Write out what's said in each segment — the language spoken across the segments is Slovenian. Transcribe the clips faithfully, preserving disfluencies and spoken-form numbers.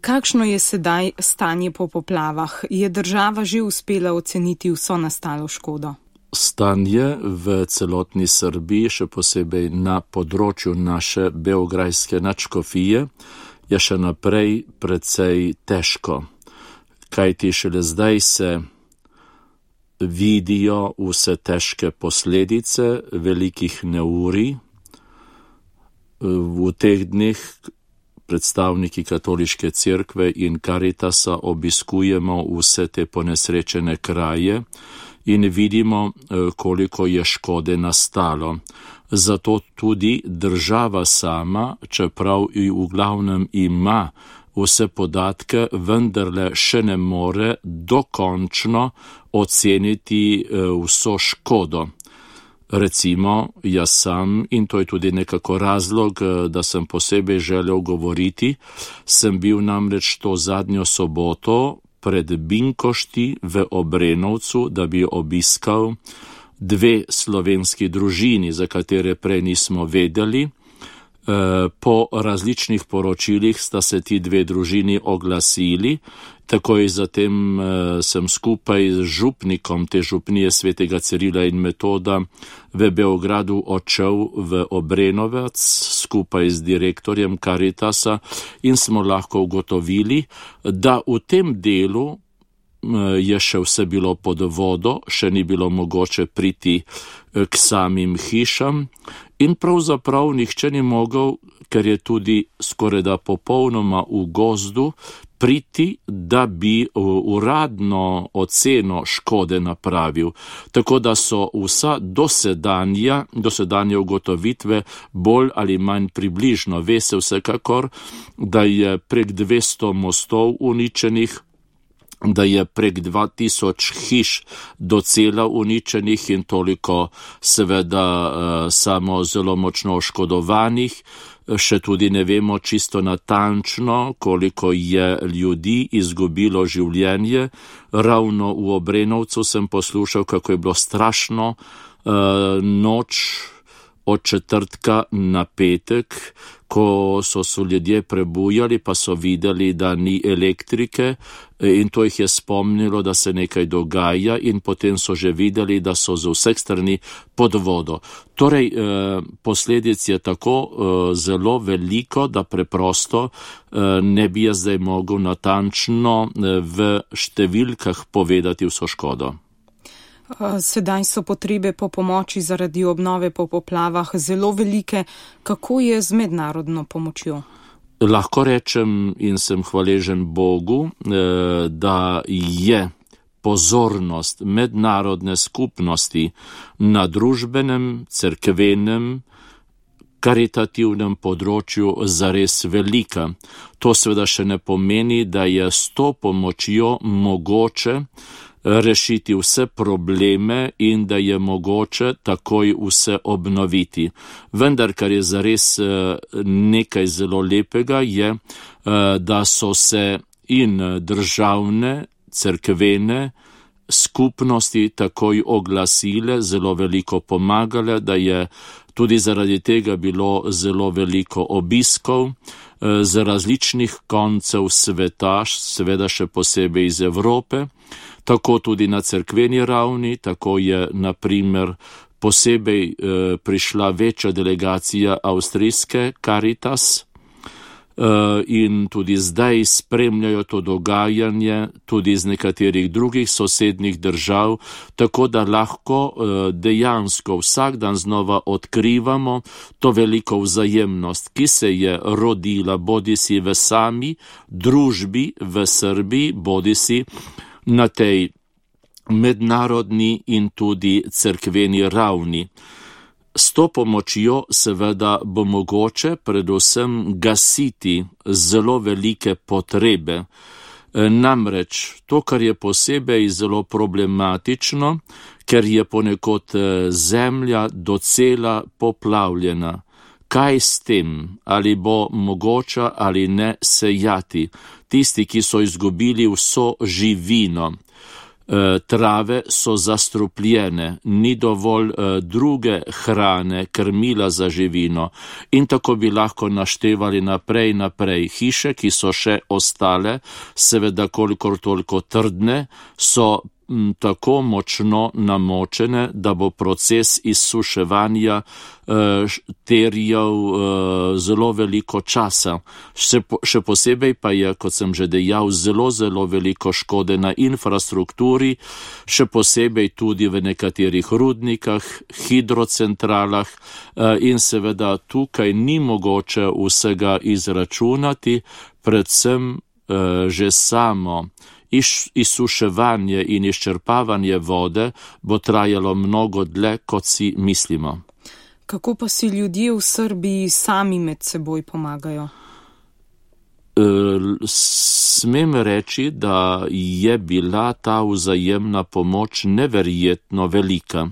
Kakšno je sedaj stanje po poplavah? Je država že uspela oceniti vso nastalo škodo? Stanje v celotni Srbiji, še posebej na področju naše beograjske nadškofije, je še naprej precej težko. Kajti šele zdaj se vidijo vse težke posledice velikih neurij. V teh dneh predstavniki katoliške cerkve in Karitasa obiskujemo vse te ponesrečene kraje in vidimo, koliko je škode nastalo. Zato tudi država sama, čeprav v glavnem ima vse podatke, vendarle še ne more dokončno oceniti vso škodo. Recimo, jaz sam, in to je tudi nekako razlog, da sem posebej želel govoriti, sem bil namreč to zadnjo soboto pred Binkošti v Obrenovcu, da bi obiskal dve slovenski družini, za katere prej nismo vedeli. Po različnih poročilih sta se ti dve družini oglasili, takoj zatem sem skupaj z župnikom te župnije svetega Cirila in Metoda v Beogradu odšel v Obrenovec skupaj z direktorjem Karitasa in smo lahko ugotovili, da v tem delu je še vse bilo pod vodo, še ni bilo mogoče priti k samim hišam in pravzaprav nihče ni mogel, ker je tudi skorajda popolnoma v gozdu, priti, da bi uradno oceno škode napravil. Tako da so vsa dosedanja, dosedanje ugotovitve bolj ali manj približno. Ve se vsekakor, da je prek dvesto mostov uničenih, da je prek dva tisoč hiš docela uničenih in toliko seveda samo zelo močno oškodovanih. Še tudi ne vemo čisto natančno, koliko je ljudi izgubilo življenje. Ravno v Obrenovcu sem poslušal, kako je bilo strašno noč od četrtka na petek, ko so se ljudje prebujali, pa so videli, da ni elektrike in to jih je spomnilo, da se nekaj dogaja in potem so že videli, da so z vseh strani pod vodo. Torej, posledic je tako zelo veliko, da preprosto ne bi jaz zdaj mogel natančno v številkah povedati vso škodo. Sedaj so potrebe po pomoči zaradi obnove po poplavah zelo velike. Kako je z mednarodno pomočjo? Lahko rečem in sem hvaležen Bogu, da je pozornost mednarodne skupnosti na družbenem, cerkvenem, karitativnem področju zares velika. To seveda še ne pomeni, da je s to pomočjo mogoče rešiti vse probleme in da je mogoče takoj vse obnoviti. Vendar, kar je zares nekaj zelo lepega, je, da so se in državne, cerkvene skupnosti takoj oglasile, zelo veliko pomagale, da je tudi zaradi tega bilo zelo veliko obiskov z različnih koncev sveta, seveda še posebej iz Evrope. Tako tudi na cerkveni ravni, tako je na primer posebej e, prišla večja delegacija avstrijske Caritas e, in tudi zdaj spremljajo to dogajanje tudi iz nekaterih drugih sosednjih držav, tako da lahko e, dejansko vsak dan znova odkrivamo to veliko vzajemnost, ki se je rodila bodisi v sami družbi v Srbiji, bodisi na tej mednarodni in tudi cerkveni ravni. S to pomočjo seveda bo mogoče predvsem gasiti zelo velike potrebe. Namreč to, kar je posebej zelo problematično, ker je ponekod zemlja docela poplavljena. Kaj s tem? Ali bo mogoče ali ne sejati? Tisti, ki so izgubili vso živino. Trave so zastrupljene, ni dovolj druge hrane, krmila za živino in tako bi lahko naštevali naprej naprej. Hiše, ki so še ostale, seveda kolikor toliko trdne, so tako močno namočene, da bo proces izsuševanja eh, terjal eh, zelo veliko časa. Še, po, še posebej pa je, kot sem že dejal, zelo, zelo veliko škode na infrastrukturi, še posebej tudi v nekaterih rudnikah, hidrocentralah eh, in seveda tukaj ni mogoče vsega izračunati, predvsem eh, že samo izsuševanje in izčrpavanje vode bo trajalo mnogo dlje, kot si mislimo. Kako pa si ljudje v Srbiji sami med seboj pomagajo? Smem reči, da je bila ta vzajemna pomoč neverjetno velika.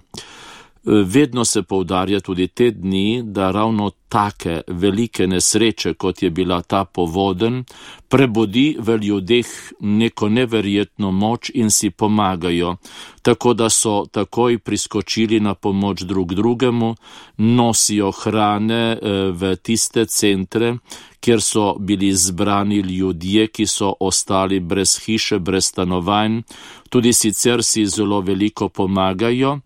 Vedno se poudarja tudi te dni, da ravno take velike nesreče, kot je bila ta povodenj, prebudi v ljudeh neko neverjetno moč in si pomagajo, tako da so takoj priskočili na pomoč drug drugemu, nosijo hrane v tiste centre, kjer so bili zbrani ljudje, ki so ostali brez hiše, brez stanovanj, tudi sicer si zelo veliko pomagajo.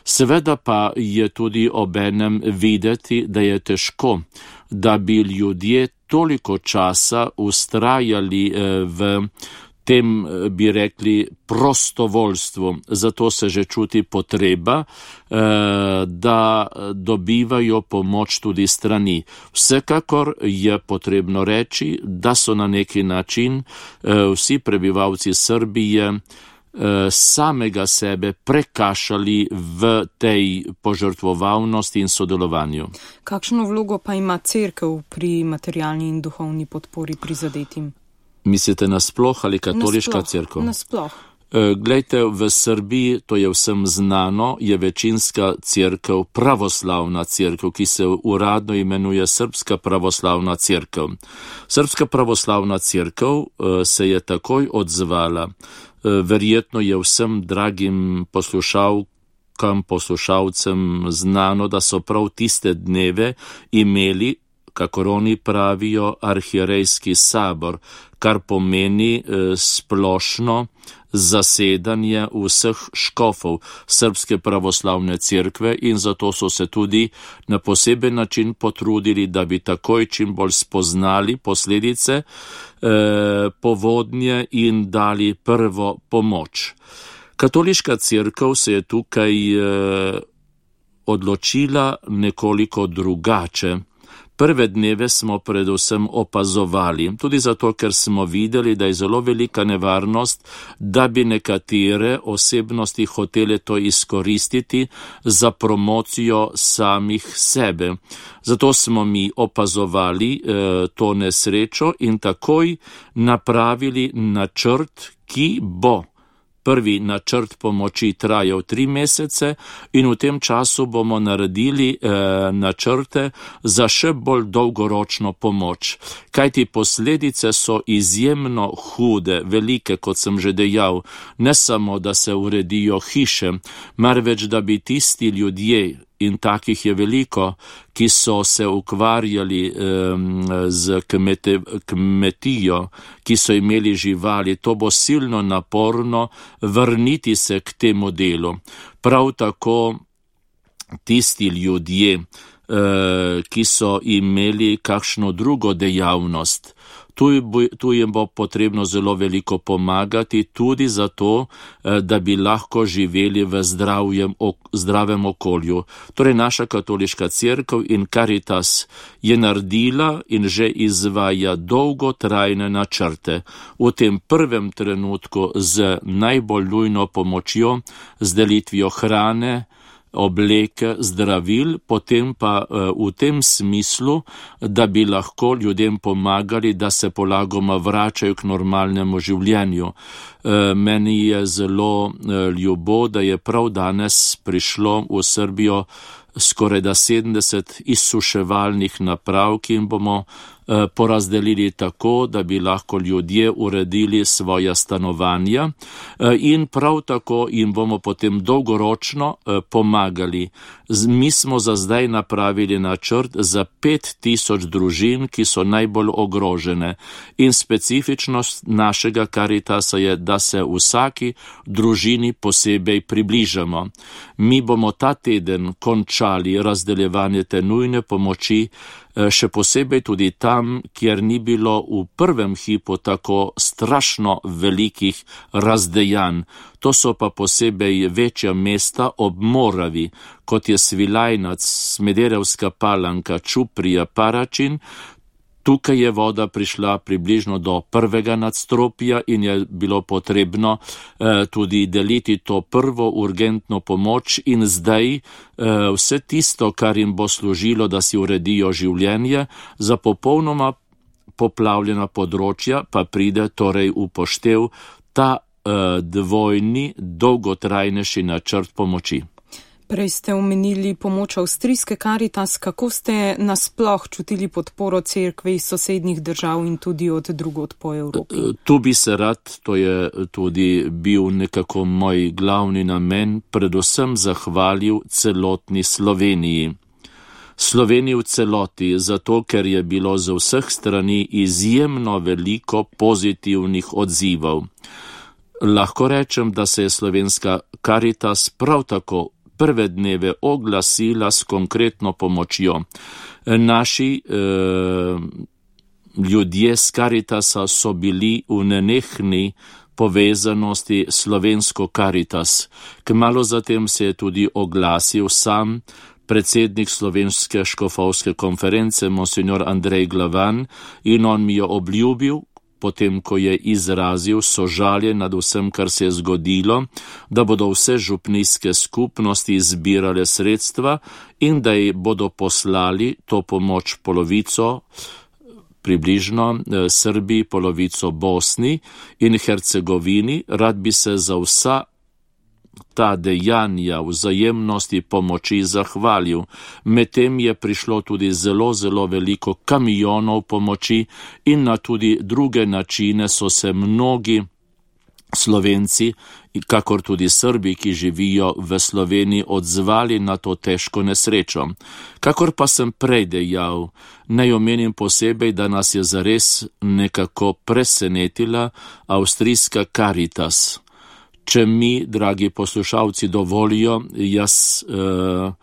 Seveda pa je tudi obenem videti, da je težko, da bi ljudje toliko časa ustrajali v tem, bi rekli, prostovoljstvu. Zato se že čuti potreba, da dobivajo pomoč tudi strani. Vsekakor je potrebno reči, da so na neki način vsi prebivalci Srbije samega sebe prekašali v tej požrtvovalnosti in sodelovanju. Kakšno vlogo pa ima cerkev pri materialni in duhovni podpori prizadetim? Mislite nasploh ali katoliška nasploh, cerkev? Nasploh. Glejte, v Srbiji, to je vsem znano, je večinska cerkev pravoslavna cerkev, ki se uradno imenuje Srpska pravoslavna cerkev. Srpska pravoslavna cerkev se je takoj odzvala. Verjetno je vsem dragim poslušalkam, poslušalcem znano, da so prav tiste dneve imeli, kakor oni pravijo, arhierejski sabor, kar pomeni eh, splošno zasedanje vseh škofov Srpske pravoslavne cerkve in zato so se tudi na poseben način potrudili, da bi takoj čim bolj spoznali posledice eh, povodnje in dali prvo pomoč. Katoliška cerkev se je tukaj eh, odločila nekoliko drugače. Prve dneve smo predvsem opazovali, tudi zato, ker smo videli, da je zelo velika nevarnost, da bi nekatere osebnosti hotele to izkoristiti za promocijo samih sebe. Zato smo mi opazovali eh, to nesrečo in takoj napravili načrt, ki bo. Prvi načrt pomoči trajal tri mesece in v tem času bomo naredili eh, načrte za še bolj dolgoročno pomoč. Kajti posledice so izjemno hude, velike, kot sem že dejal, ne samo, da se uredijo hiše, marveč da bi tisti ljudje, in takih je veliko, ki so se ukvarjali um, z kmete, kmetijo, ki so imeli živali, to bo silno naporno vrniti se k temu delu. Prav tako tisti ljudje, uh, ki so imeli kakšno drugo dejavnost, Tu, tu jim bo potrebno zelo veliko pomagati, tudi zato, da bi lahko živeli v zdravjem, zdravem okolju. Torej, naša katoliška cerkev in Caritas je naredila in že izvaja dolgotrajne načrte. V tem prvem trenutku z najbolj nujno pomočjo, z delitvijo hrane, obleke, zdravil, potem pa v tem smislu, da bi lahko ljudem pomagali, da se polagoma vračajo k normalnemu življenju. Meni je zelo ljubo, da je prav danes prišlo v Srbijo skoraj da sedemdeset izsuševalnih naprav, ki jim bomo porazdelili tako, da bi lahko ljudje uredili svoja stanovanja in prav tako jim bomo potem dolgoročno pomagali. Mi smo za zdaj napravili načrt za pet tisoč družin, ki so najbolj ogrožene, in specifičnost našega Karitasa je, da se vsaki družini posebej približamo. Mi bomo ta teden končali razdeljevanje te nujne pomoči, še posebej tudi tam, kjer ni bilo v prvem hipu tako strašno velikih razdejanj. To so pa posebej večja mesta ob Moravi, kot je Svilajnac, Smederevska Palanka, Čuprija, Paračin. Tukaj je voda prišla približno do prvega nadstropja in je bilo potrebno eh, tudi deliti to prvo urgentno pomoč in zdaj eh, vse tisto, kar jim bo služilo, da si uredijo življenje, za popolnoma poplavljena področja pa pride torej v poštev ta eh, dvojni, dolgotrajnejši načrt pomoči. Prej ste omenili pomoč avstrijske Karitas. Kako ste nasploh čutili podporo cerkve iz sosednjih držav in tudi od drugod po Evropi? Tu bi se rad, to je tudi bil nekako moj glavni namen, predvsem zahvalil celotni Sloveniji. Sloveniji v celoti, zato ker je bilo z vseh strani izjemno veliko pozitivnih odzivov. Lahko rečem, da se je slovenska Karitas prav tako prve dneve oglasila s konkretno pomočjo. Naši eh, ljudje z Karitasa so bili v nenehni povezanosti slovensko Karitas. Kmalu zatem se je tudi oglasil sam predsednik Slovenske škofovske konference, monsignor Andrej Glavan, in on mi je obljubil, potem ko je izrazil sožalje nad vsem, kar se je zgodilo, da bodo vse župnijske skupnosti zbirale sredstva in da ji bodo poslali to pomoč polovico, približno Srbiji, polovico Bosni in Hercegovini. Rad bi se za vsa ta dejanja vzajemnosti pomoči zahvalil. Medtem je prišlo tudi zelo, zelo veliko kamionov pomoči in na tudi druge načine so se mnogi Slovenci, kakor tudi Srbi, ki živijo v Sloveniji, odzvali na to težko nesrečo. Kakor pa sem prej dejal, naj omenim posebej, da nas je zares nekako presenetila avstrijska Karitas. Če mi, dragi poslušalci, dovolijo, jaz uh,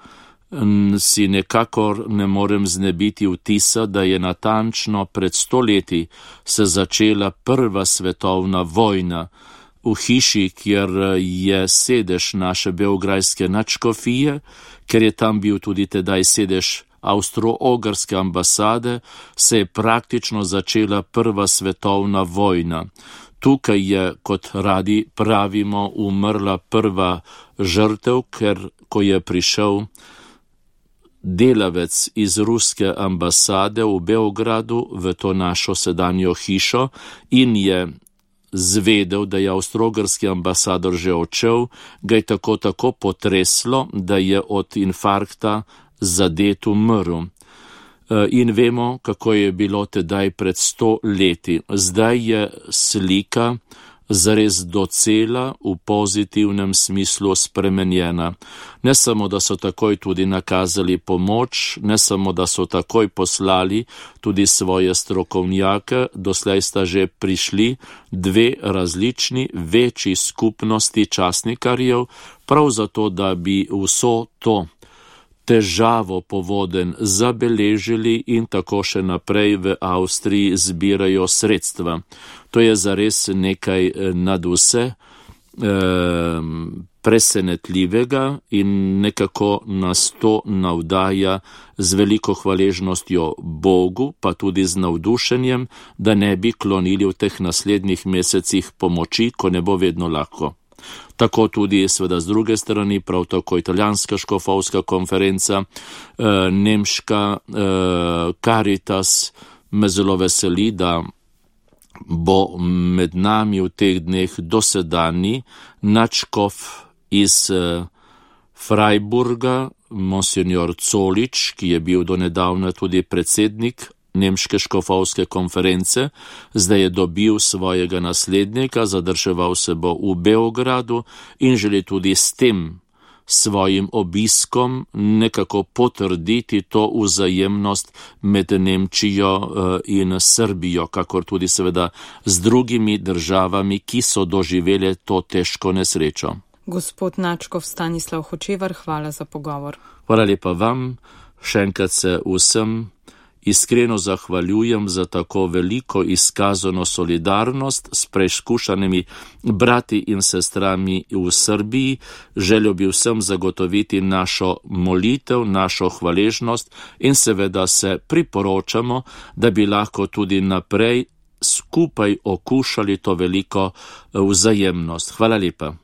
si nekakor ne morem znebiti vtisa, da je natančno pred sto leti se začela prva svetovna vojna. V hiši, kjer je sedež naše beograjske nadškofije, ker je tam bil tudi tedaj sedež Avstro-Ogrske ambasade, se je praktično začela prva svetovna vojna. Tukaj je, kot radi pravimo, umrla prva žrtev, ker ko je prišel delavec iz ruske ambasade v Beogradu v to našo sedanjo hišo in je zvedel, da je avstro-ogrski ambasador že odšel, ga je tako tako potreslo, da je od infarkta zadet umrl. In vemo, kako je bilo tedaj pred sto leti. Zdaj je slika zares docela v pozitivnem smislu spremenjena. Ne samo, da so takoj tudi nakazali pomoč, ne samo, da so takoj poslali tudi svoje strokovnjake, doslej sta že prišli dve različni večji skupnosti časnikarjev, prav zato, da bi vso to težavo povodenj zabeležili in tako še naprej v Avstriji zbirajo sredstva. To je zares nekaj nad vse eh, presenetljivega in nekako nas to navdaja z veliko hvaležnostjo Bogu, pa tudi z navdušenjem, da ne bi klonili v teh naslednjih mesecih pomoči, ko ne bo vedno lahko. Tako tudi seveda z druge strani, prav tako italijanska škofovska konferenca, eh, nemška eh, Karitas, me zelo veseli, da bo med nami v teh dneh dosedani nadškof iz eh, Freiburga, monsignor Colič, ki je bil do nedavna tudi predsednik Nemške škofovske konference, zdaj je dobil svojega naslednika, zadrževal se bo v Beogradu in želi tudi s tem svojim obiskom nekako potrditi to vzajemnost med Nemčijo in Srbijo, kakor tudi seveda z drugimi državami, ki so doživele to težko nesrečo. Gospod Načkov Stanislav Hočevar, hvala za pogovor. Hvala lepa vam, še enkrat se vsem iskreno zahvaljujem za tako veliko izkazano solidarnost s preizkušanimi brati in sestrami v Srbiji. Želel bi vsem zagotoviti našo molitev, našo hvaležnost in seveda se priporočamo, da bi lahko tudi naprej skupaj okušali to veliko vzajemnost. Hvala lepa.